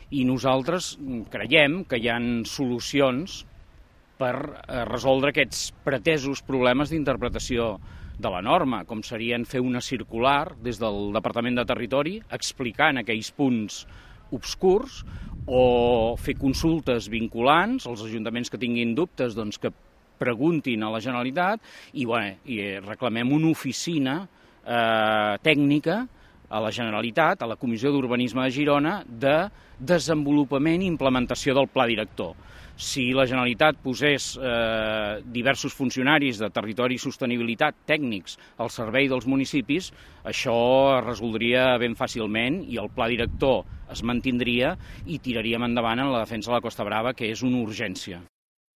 I nosaltres creiem que hi ha solucions per resoldre aquests pretesos problemes d'interpretació de la norma, com serien fer una circular des del Departament de Territori explicant aquells punts obscurs o fer consultes vinculants als ajuntaments que tinguin dubtes, doncs que preguntin a la Generalitat i reclamem una oficina tècnica a la Generalitat, a la Comissió d'Urbanisme de Girona, de desenvolupament i implementació del pla director. Si la Generalitat posés diversos funcionaris de territori i sostenibilitat tècnics al servei dels municipis, això es resoldria ben fàcilment i el pla director es mantindria i tiraríem endavant en la defensa de la Costa Brava, que és una urgència.